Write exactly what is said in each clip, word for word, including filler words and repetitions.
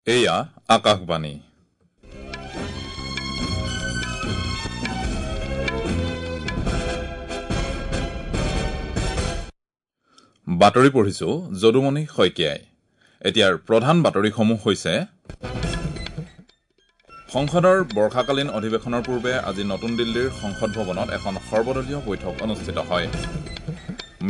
এয়া আকাশবাণী। বাতৰি পঢ়িছো যদুমণি শইকীয়াই। এতিয়াৰ প্ৰধান বাতৰিসমূহ হৈছে সংসদৰ বৰ্ষাকালীন অধিৱেশনৰ পূৰ্বে আজি নতুন দিল্লীৰ সংসদ ভৱনত এখন সৰ্বদলীয় বৈঠক অনুষ্ঠিত হয়।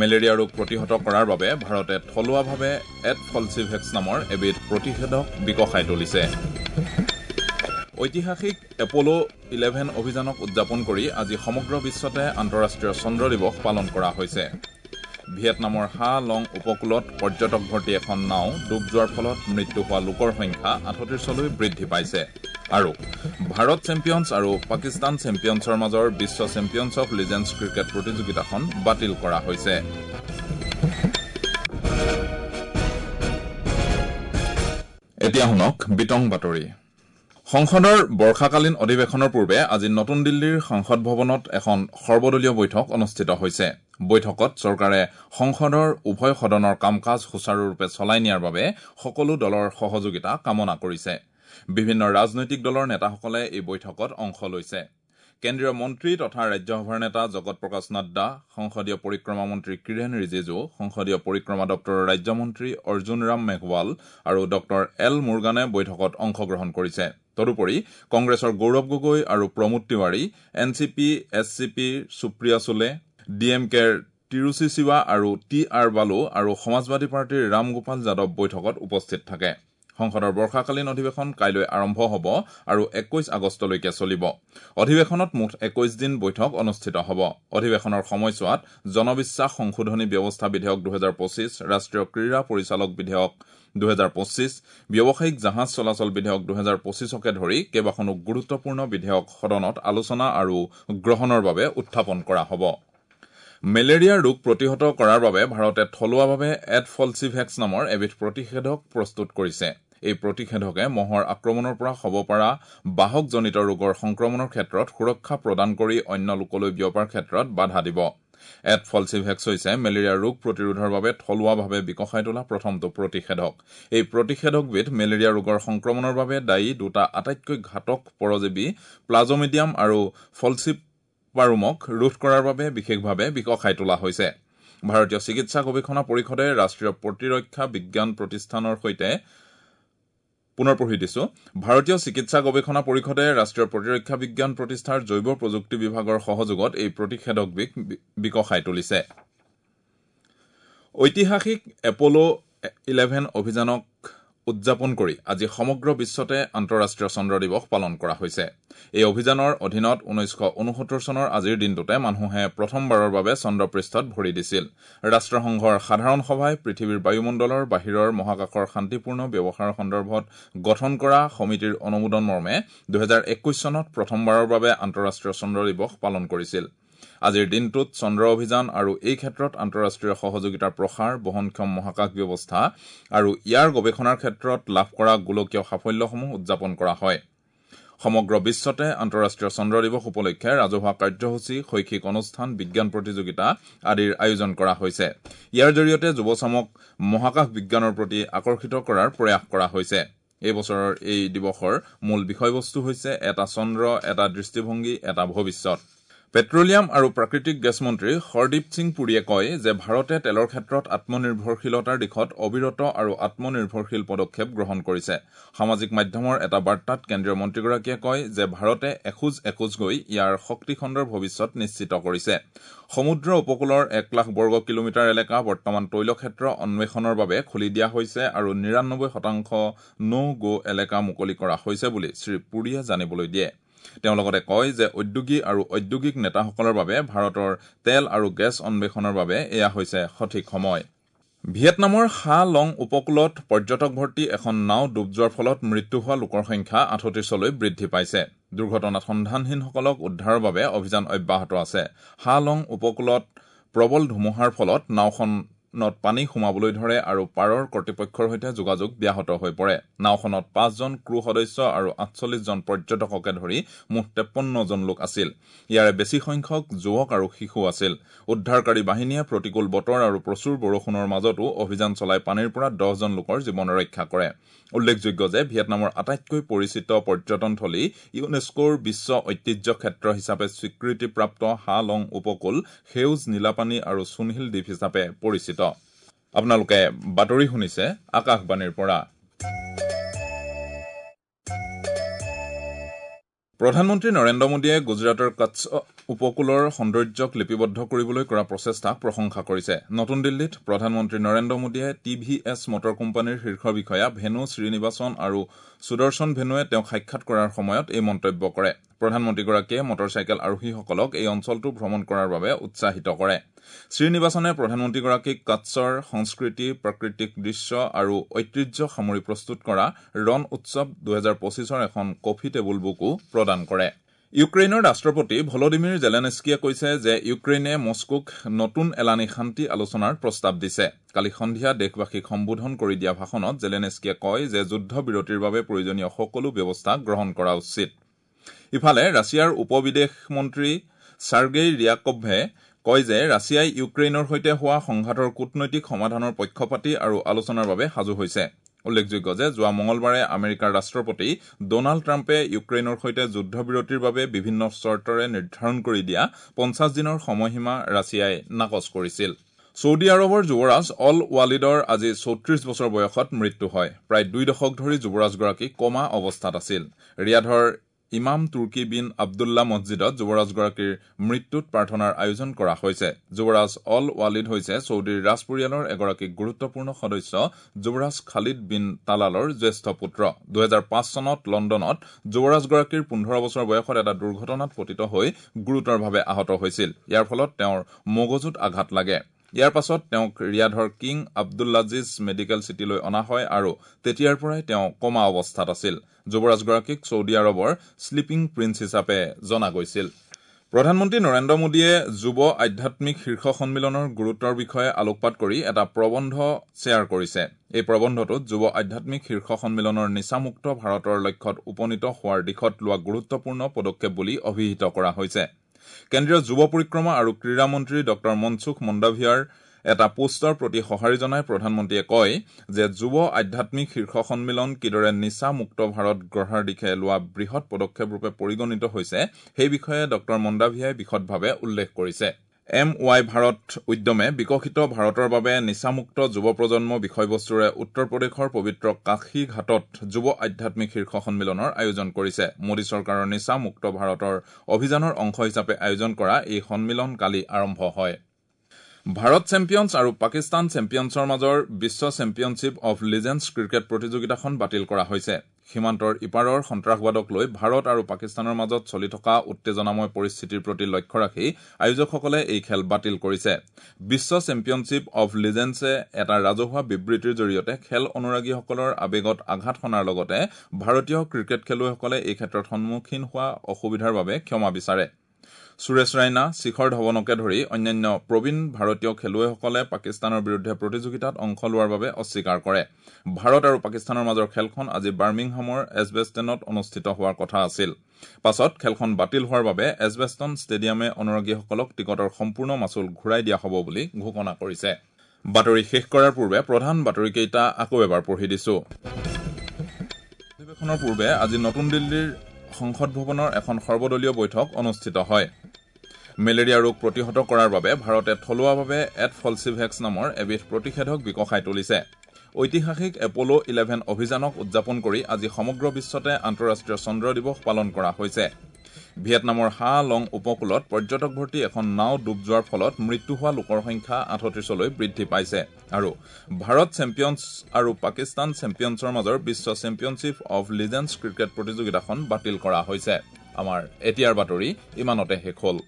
মেলেৰিয়া ৰোগ প্ৰতিহত কৰাৰ বাবে ভাৰতে থলুৱাভাৱে এডফলচিভেক্স নামৰ এবিধ প্ৰতিষেধক বিকশাই তুলিছে। ঐতিহাসিক এপ'ল' ইলেভেন অভিযানক উদযাপন কৰি আজি সমগ্ৰ বিশ্বতে আন্তঃৰাষ্ট্ৰীয় চন্দ্ৰ দিৱস পালন কৰা হৈছে। ভিয়েটনামৰ হা লং উপকূলত পৰ্যটক ভৰ্তি এখন নাও ডুব যোৱাৰ ফলত মৃত্যু হোৱা লোকৰ সংখ্যা আঠত্ৰিশলৈ বৃদ্ধি পাইছে। আৰু ভাৰত চেম্পিয়নছ আৰু পাকিস্তান চেম্পিয়নছৰ মাজৰ বিশ্ব চেম্পিয়নছ অৱ লিজেণ্ডছ ক্ৰিকেট প্ৰতিযোগিতাখন বাতিল কৰা হৈছে। এতিয়া শুনক বিতং বাতৰি। সংসদৰ বৰ্ষাকালীন অধিৱেশনৰ পূৰ্বে আজি নতুন দিল্লীৰ সংসদ ভৱনত এখন সৰ্বদলীয় বৈঠক অনুষ্ঠিত হৈছে। বৈঠকত চৰকাৰে সংসদৰ উভয় সদনৰ কাম কাজ সুচাৰুৰূপে চলাই নিয়াৰ বাবে সকলো দলৰ সহযোগিতা কামনা কৰিছে। বিভিন্ন ৰাজনৈতিক দলৰ নেতাসকলে এই বৈঠকত অংশ লৈছে। কেন্দ্ৰীয় মন্ত্ৰী তথা ৰাজ্যসভাৰ নেতা জগত প্ৰকাশ নাড্ডা, সংসদীয় পৰিক্ৰমা মন্ত্ৰী কিৰেণ ৰিজিজু, সংসদীয় পৰিক্ৰমা দপ্তৰৰ ৰাজ্যমন্ত্ৰী অৰ্জুন ৰাম মেঘৱাল আৰু ডঃ এল মুৰুগানে বৈঠকত অংশগ্ৰহণ কৰিছে। তদুপৰি কংগ্ৰেছৰ গৌৰৱ গগৈ আৰু Pramod Tiwari, N C P, S C পিৰ সুপ্ৰিয়া চুলে, ডি এম কেৰ তিৰুচি শিৱা আৰু টি আৰ বালু আৰু সমাজবাদী পাৰ্টীৰ ৰামগোপাল যাদৱ বৈঠকত উপস্থিত থাকে। সংসদৰ বৰ্ষাকালীন অধিৱেশন কাইলৈ আৰম্ভ হ'ব আৰু একৈশ আগষ্টলৈকে চলিব। অধিৱেশনত মুঠ একৈশ দিন বৈঠক অনুষ্ঠিত হ'ব। অধিৱেশনৰ সময়ছোৱাত জনবিশ্বাস সংশোধনী ব্যৱস্থা বিধেয়ক দুহেজাৰ পঁচিছ, ৰাষ্ট্ৰীয় ক্ৰীড়া পৰিচালক বিধেয়ক দুহেজাৰ পঁচিছ, ব্যৱসায়িক জাহাজ চলাচল বিধেয়ক দুহেজাৰ পঁচিছকে ধৰি কেইবাখনো গুৰুত্বপূৰ্ণ বিধেয়ক সদনত আলোচনা আৰু গ্ৰহণৰ বাবে উত্থাপন কৰা হ'ব। মেলেৰিয়া ৰোগ প্ৰতিহত কৰাৰ বাবে ভাৰতে থলুৱাভাৱে এডফলচিভেক্স নামৰ এবিধ প্ৰতিষেধক প্ৰস্তুত কৰিছে। এই প্ৰতিষেধকে মহৰ আক্ৰমণৰ পৰা হ'ব পৰা বাহকজনিত ৰোগৰ সংক্ৰমণৰ ক্ষেত্ৰত সুৰক্ষা প্ৰদান কৰি অন্য লোকলৈ বিয়পাৰ ক্ষেত্ৰত বাধা দিব। এডফলচিভেক্স হৈছে মেলেৰিয়া ৰোগ প্ৰতিৰোধৰ বাবে থলুৱাভাৱে বিকশাই তোলা প্ৰথমটো প্ৰতিষেধক। এই প্ৰতিষেধকবিধ মেলেৰিয়া ৰোগৰ সংক্ৰমণৰ বাবে দায়ী দুটা আটাইতকৈ ঘাতক পৰজীৱী প্লাজমিডিয়াম আৰু ফলচিপাৰুমক ৰোধ কৰাৰ বাবে বিশেষভাৱে বিকশাই তোলা হৈছে। ভাৰতীয় চিকিৎসা গৱেষণা পৰিষদে ৰাষ্ট্ৰীয় প্ৰতিৰক্ষা বিজ্ঞান প্ৰতিষ্ঠানৰ সৈতে পুনৰ পঢ়ি দিছো। ভাৰতীয় চিকিৎসা গৱেষণা পৰিষদে ৰাষ্ট্ৰীয় প্ৰতিৰক্ষা বিজ্ঞান প্ৰতিষ্ঠাৰ জৈৱ প্ৰযুক্তি বিভাগৰ সহযোগত এই প্ৰতিষেধকবিধ বিকশাই তুলিছে। ঐতিহাসিক এপ'ল' ইলেভেন অভিযানক উদযাপন কৰি আজি সমগ্ৰ বিশ্বতে আন্তঃৰাষ্ট্ৰীয় চন্দ্ৰ দিৱস পালন কৰা হৈছে। এই অভিযানৰ অধীনত ঊনৈছশ ঊনসত্তৰ চনৰ আজিৰ দিনটোতে মানুহে প্ৰথমবাৰৰ বাবে চন্দ্ৰপৃষ্ঠত ভৰি দিছিল। ৰাষ্ট্ৰসংঘৰ সাধাৰণ সভাই পৃথিৱীৰ বায়ুমণ্ডলৰ বাহিৰৰ মহাকাশৰ শান্তিপূৰ্ণ ব্যৱহাৰৰ সন্দৰ্ভত গঠন কৰা সমিতিৰ অনুমোদন মৰ্মে দুহেজাৰ একৈশ চনত প্ৰথমবাৰৰ বাবে আন্তঃৰাষ্ট্ৰীয় চন্দ্ৰ দিৱস পালন কৰিছিল। আজিৰ দিনটোত চন্দ্ৰ অভিযান আৰু এই ক্ষেত্ৰত আন্তঃৰাষ্ট্ৰীয় সহযোগিতাৰ প্ৰসাৰ, বহনক্ষম মহাকাশ ব্যৱস্থা আৰু ইয়াৰ গৱেষণাৰ ক্ষেত্ৰত লাভ কৰা গোলকীয় সাফল্যসমূহ উদযাপন কৰা হয়। সমগ্ৰ বিশ্বতে আন্তঃৰাষ্ট্ৰীয় চন্দ্ৰ দিৱস উপলক্ষে ৰাজহুৱা কাৰ্যসূচী, শৈক্ষিক অনুষ্ঠান, বিজ্ঞান প্ৰতিযোগিতা আদিৰ আয়োজন কৰা হৈছে। ইয়াৰ জৰিয়তে যুৱচামক মহাকাশ বিজ্ঞানৰ প্ৰতি আকৰ্ষিত কৰাৰ প্ৰয়াস কৰা হৈছে। এই বছৰৰ এই দিৱসৰ মূল বিষয়বস্তু হৈছে এটা চন্দ্ৰ, এটা দৃষ্টিভংগী, এটা ভৱিষ্যত। পেট্ৰলিয়াম আৰু প্ৰাকৃতিক গেছ মন্ত্ৰী হৰদীপ সিং পুৰীয়ে কয় যে ভাৰতে তেলৰ ক্ষেত্ৰত আত্মনিৰ্ভৰশীলতাৰ দিশত অবিৰত আৰু আত্মনিৰ্ভৰশীল পদক্ষেপ গ্ৰহণ কৰিছে। সামাজিক মাধ্যমৰ এটা বাৰ্তাত কেন্দ্ৰীয় মন্ত্ৰীগৰাকীয়ে কয় যে ভাৰতে এখোজ এখোজ গৈ ইয়াৰ শক্তিখণ্ডৰ ভৱিষ্যত নিশ্চিত কৰিছে। সমুদ্ৰ উপকূলৰ এক লাখ বৰ্গ কিলোমিটাৰ এলেকা বৰ্তমান তৈলক্ষেত্ৰ অন্বেষণৰ বাবে খুলি দিয়া হৈছে আৰু নিৰানব্বৈ শতাংশ ন' গ' এলেকা মুকলি কৰা হৈছে বুলি শ্ৰীপুৰীয়ে জানিবলৈ দিয়ে। তেওঁ লগতে কয় যে উদ্যোগী আৰু ঔদ্যোগিক নেতাসকলৰ বাবে ভাৰতৰ তেল আৰু গেছ অন্বেষণৰ বাবে এয়া হৈছে সঠিক সময়। ভিয়েটনামৰ হা লং উপকূলত পৰ্যটক ভৰ্তি এখন নাও ডুব যোৱাৰ ফলত মৃত্যু হোৱা লোকৰ সংখ্যা আঠত্ৰিশলৈ বৃদ্ধি পাইছে। দুৰ্ঘটনাত সন্ধানহীনসকলক উদ্ধাৰৰ বাবে অভিযান অব্যাহত আছে। হা লং উপকূলত প্ৰবল ধুমুহাৰ ফলত নাওখন নাওখনত পানী সোমাবলৈ ধৰে আৰু পাৰৰ কৰ্তৃপক্ষৰ সৈতে যোগাযোগ ব্যাহত হৈ পৰে। নাওখনত পাঁচজন ক্ৰু সদস্য আৰু আঠচল্লিছজন পৰ্যটককে ধৰি মুঠ তেপন্নজন লোক আছিল। ইয়াৰে বেছি সংখ্যক যুৱক আৰু শিশু আছিল। উদ্ধাৰকাৰী বাহিনীয়ে প্ৰতিকূল বতৰ আৰু প্ৰচুৰ বৰষুণৰ মাজতো অভিযান চলাই পানীৰ পৰা দহজন লোকৰ জীৱন ৰক্ষা কৰে। উল্লেখযোগ্য যে ভিয়েটনামৰ আটাইতকৈ পৰিচিত পৰ্যটনথলী ইউনেস্কোৰ বিশ্ব ঐতিহ্য ক্ষেত্ৰ হিচাপে স্বীকৃতিপ্ৰাপ্ত হা লং উপকূল সেউজ নীলাপানী আৰু চূণশিল দ্বীপ হিচাপে পৰিচিত। আপোনালোকে বাতৰি শুনিছে আকাশবাণীৰ পৰা। প্ৰধানমন্ত্ৰী নৰেন্দ্ৰ মোদীয়ে গুজৰাটৰ কচ্ছ উপকূলৰ সৌন্দৰ্যক লিপিবদ্ধ কৰিবলৈ কৰা প্ৰচেষ্টাক প্ৰশংসা কৰিছে। নতুন দিল্লীত প্ৰধানমন্ত্ৰী নৰেন্দ্ৰ মোদীয়ে টি ভি এছ মটৰ কোম্পানীৰ শীৰ্ষ বিষয়া ভেনু শ্ৰীনিবাসন আৰু সুদৰ্শন ভেনুৱে তেওঁক সাক্ষাৎ কৰাৰ সময়ত এই মন্তব্য কৰে। প্ৰধানমন্ত্ৰীগৰাকীয়ে মটৰচাইকেল আৰোহীসকলক এই অঞ্চলটো ভ্ৰমণ কৰাৰ বাবে উৎসাহিত কৰে। শ্ৰীনিবাসনে প্ৰধানমন্ত্ৰীগৰাকীক কচ্ছৰ সংস্কৃতি, প্ৰাকৃতিক দৃশ্য আৰু ঐতিহ্য সামৰি প্ৰস্তুত কৰা ৰণ উৎসৱ দুহেজাৰ পঁচিছৰ এখন কফি টেবুল বুকো প্ৰদান কৰে। ইউক্ৰেইনৰ ৰাষ্ট্ৰপতি ভলডিমিৰ জেলেনস্কিয়ে কৈছে যে ইউক্ৰেইনে মস্কোক নতুন এলানি শান্তি আলোচনাৰ প্ৰস্তাৱ দিছে। কালি সন্ধিয়া দেশবাসীক সম্বোধন কৰি দিয়া ভাষণত জেলেনস্কিয়ে কয় যে যুদ্ধবিৰতিৰ বাবে প্ৰয়োজনীয় সকলো ব্যৱস্থা গ্ৰহণ কৰা উচিত। ইফালে ৰাছিয়াৰ উপ বিদেশ মন্ত্ৰী চাৰ্গেই ৰিয়াকভে কয় যে ৰাছিয়াই ইউক্ৰেইনৰ সৈতে হোৱা সংঘাতৰ কূটনৈতিক সমাধানৰ পক্ষপাতী আৰু আলোচনাৰ বাবে সাজু হৈছে। উল্লেখযোগ্য যে যোৱা মঙলবাৰে আমেৰিকাৰ ৰাষ্ট্ৰপতি ডনাল্ড ট্ৰাম্পে ইউক্ৰেইনৰ সৈতে যুদ্ধবিৰতিৰ বাবে বিভিন্ন চৰ্তৰে নিৰ্ধাৰণ কৰি দিয়া পঞ্চাছ দিনৰ সময়সীমা ৰাছিয়াই নাকচ কৰিছিল। ছৌদি আৰৱৰ যুৱৰাজ অল ৱালিদৰ আজি চৌত্ৰিশ বছৰ বয়সত মৃত্যু হয়। প্ৰায় দুই দশক ধৰি যুৱৰাজগৰাকী কমা অৱস্থাত আছিল। ৰিয়াধৰ ইমাম তুৰ্কী বিন আব্দুল্লাহ মছজিদত যুৱৰাজগৰাকীৰ মৃত্যুত প্ৰাৰ্থনাৰ আয়োজন কৰা হৈছে। যুৱৰাজ অল ৱালিদ হৈছে ছৌদিৰ ৰাজপৰিয়ালৰ এগৰাকী গুৰুত্বপূৰ্ণ সদস্য যুৱৰাজ খালিদ বিন তালালৰ জ্যেষ্ঠ পুত্ৰ। দুহেজাৰ পাঁচ চনত লণ্ডনত যুৱৰাজগৰাকীৰ পোন্ধৰ বছৰ বয়সত এটা দুৰ্ঘটনাত পতিত হৈ গুৰুতৰভাৱে আহত হৈছিল। ইয়াৰ ফলত তেওঁৰ মগজুত আঘাত লাগে। ইয়াৰ পাছত তেওঁক ৰিয়াধৰ কিং আব্দুল্লাজিজ মেডিকেল চিটিলৈ অনা হয় আৰু তেতিয়াৰ পৰাই তেওঁ কমা অৱস্থাত আছিল। যুৱৰাজগৰাকীক ছৌদি আৰৱৰ শ্লিপিং প্ৰিন্স হিচাপে জনা গৈছিল। প্ৰধানমন্ত্ৰী নৰেন্দ্ৰ মোদীয়ে যুৱ আধ্যাত্মিক শীৰ্ষ সন্মিলনৰ গুৰুত্বৰ বিষয়ে আলোকপাত কৰি এটা প্ৰবন্ধ শ্বেয়াৰ কৰিছে। এই প্ৰবন্ধটোত যুৱ আধ্যাত্মিক শীৰ্ষ সন্মিলনৰ নিচামুক্ত ভাৰতৰ লক্ষ্যত উপনীত হোৱাৰ দিশত লোৱা গুৰুত্বপূৰ্ণ পদক্ষেপ বুলি অভিহিত কৰা হৈছে। কেন্দ্ৰীয় যুৱ পৰিক্ৰমা আৰু ক্ৰীড়া মন্ত্ৰী ডঃ মনসুখ মণ্ডাভিয়াৰ এটা পোষ্টৰ প্ৰতি সঁহাৰি জনাই প্ৰধানমন্ত্ৰীয়ে কয় যে যুৱ আধ্যাত্মিক শীৰ্ষ সন্মিলন কিদৰে নিচা মুক্ত ভাৰত গঢ়াৰ দিশে লোৱা বৃহৎ পদক্ষেপ ৰূপে পৰিগণিত হৈছে সেই বিষয়ে ডঃ মণ্ডাভিয়াই বিশদভাৱে উল্লেখ কৰিছে। এম ৱাই ভাৰত উদ্যমে বিকশিত ভাৰতৰ বাবে নিচামুক্ত যুৱ প্ৰজন্ম বিষয়বস্তুৰে উত্তৰ প্ৰদেশৰ পবিত্ৰ কাশী ঘাটত যুৱ আধ্যাত্মিক শীৰ্ষ সন্মিলনৰ আয়োজন কৰিছে। মোদী চৰকাৰৰ নিচামুক্ত ভাৰতৰ অভিযানৰ অংশ হিচাপে আয়োজন কৰা এই সন্মিলন কালি আৰম্ভ হয়। ভাৰত চেম্পিয়নছ আৰু পাকিস্তান চেম্পিয়নছৰ মাজৰ বিশ্ব চেম্পিয়নশ্বিপ অৱ লিজেণ্ডছ ক্ৰিকেট প্ৰতিযোগিতাখন বাতিল কৰা হৈছে। সীমান্তৰ ইপাৰৰ সন্ত্ৰাসবাদক লৈ ভাৰত আৰু পাকিস্তানৰ মাজত চলি থকা উত্তেজনাময় পৰিস্থিতিৰ প্ৰতি লক্ষ্য ৰাখি আয়োজকসকলে এই খেল বাতিল কৰিছে। বিশ্ব চেম্পিয়নশ্বিপ অৱ লিজেণ্ডছে এটা ৰাজহুৱা বিবৃতিৰ জৰিয়তে খেল অনুৰাগীসকলৰ আৱেগত আঘাত সনাৰ লগতে ভাৰতীয় ক্ৰিকেট খেলুৱৈসকলে এই ক্ষেত্ৰত সন্মুখীন হোৱা অসুবিধাৰ বাবে ক্ষমা বিচাৰে। সুৰেশ ৰাইনা, শিখৰ ধৱনকে ধৰি অন্যান্য প্ৰবীণ ভাৰতীয় খেলুৱৈসকলে পাকিস্তানৰ বিৰুদ্ধে প্ৰতিযোগিতাত অংশ লোৱাৰ বাবে অস্বীকাৰ কৰে। ভাৰত আৰু পাকিস্তানৰ মাজৰ খেলখন আজি বাৰ্মিংহামৰ এজবেষ্টনত অনুষ্ঠিত হোৱাৰ কথা আছিল। পাছত খেলখন বাতিল হোৱাৰ বাবে এজবেষ্টন ষ্টেডিয়ামে অনুৰাগীসকলক টিকটৰ সম্পূৰ্ণ মাচুল ঘূৰাই দিয়া হ'ব বুলি ঘোষণা কৰিছে। বাতৰি শেষ কৰাৰ পূৰ্বে প্ৰধান বাতৰিকেইটা আকৌ এবাৰ পঢ়ি দিছো। অধিৱেশনৰ পূৰ্বে আজি নতুন দিল্লীৰ সংসদ ভৱনৰ এখন সৰ্বদলীয় বৈঠক অনুষ্ঠিত হয়। মেলেৰিয়া ৰোগ প্ৰতিহত কৰাৰ বাবে ভাৰতে থলুৱাভাৱে এট ফলচিভেক্স নামৰ এবিধ প্ৰতিষেধক বিকশাই তুলিছে। ঐতিহাসিক এপ'ল' ইলেভেন অভিযানক উদযাপন কৰি আজি সমগ্ৰ বিশ্বতে আন্তঃৰাষ্ট্ৰীয় চন্দ্ৰ দিৱস পালন কৰা হৈছে। ভিয়েটনামৰ হা লং উপকূলত পৰ্যটক ভৰ্তি এখন নাও ডুব যোৱাৰ ফলত মৃত্যু হোৱা লোকৰ সংখ্যা আঠত্ৰিছলৈ বৃদ্ধি পাইছে। আৰু ভাৰত চেম্পিয়নছ আৰু পাকিস্তান চেম্পিয়নছৰ মাজৰ বিশ্ব চেম্পিয়নশ্বিপ অৱ লিজেণ্ডছ ক্ৰিকেট প্ৰতিযোগিতাখন বাতিল কৰা হৈছে। আমাৰ এতিয়াৰ বাতৰি ইমানতে শেষ হ'ল।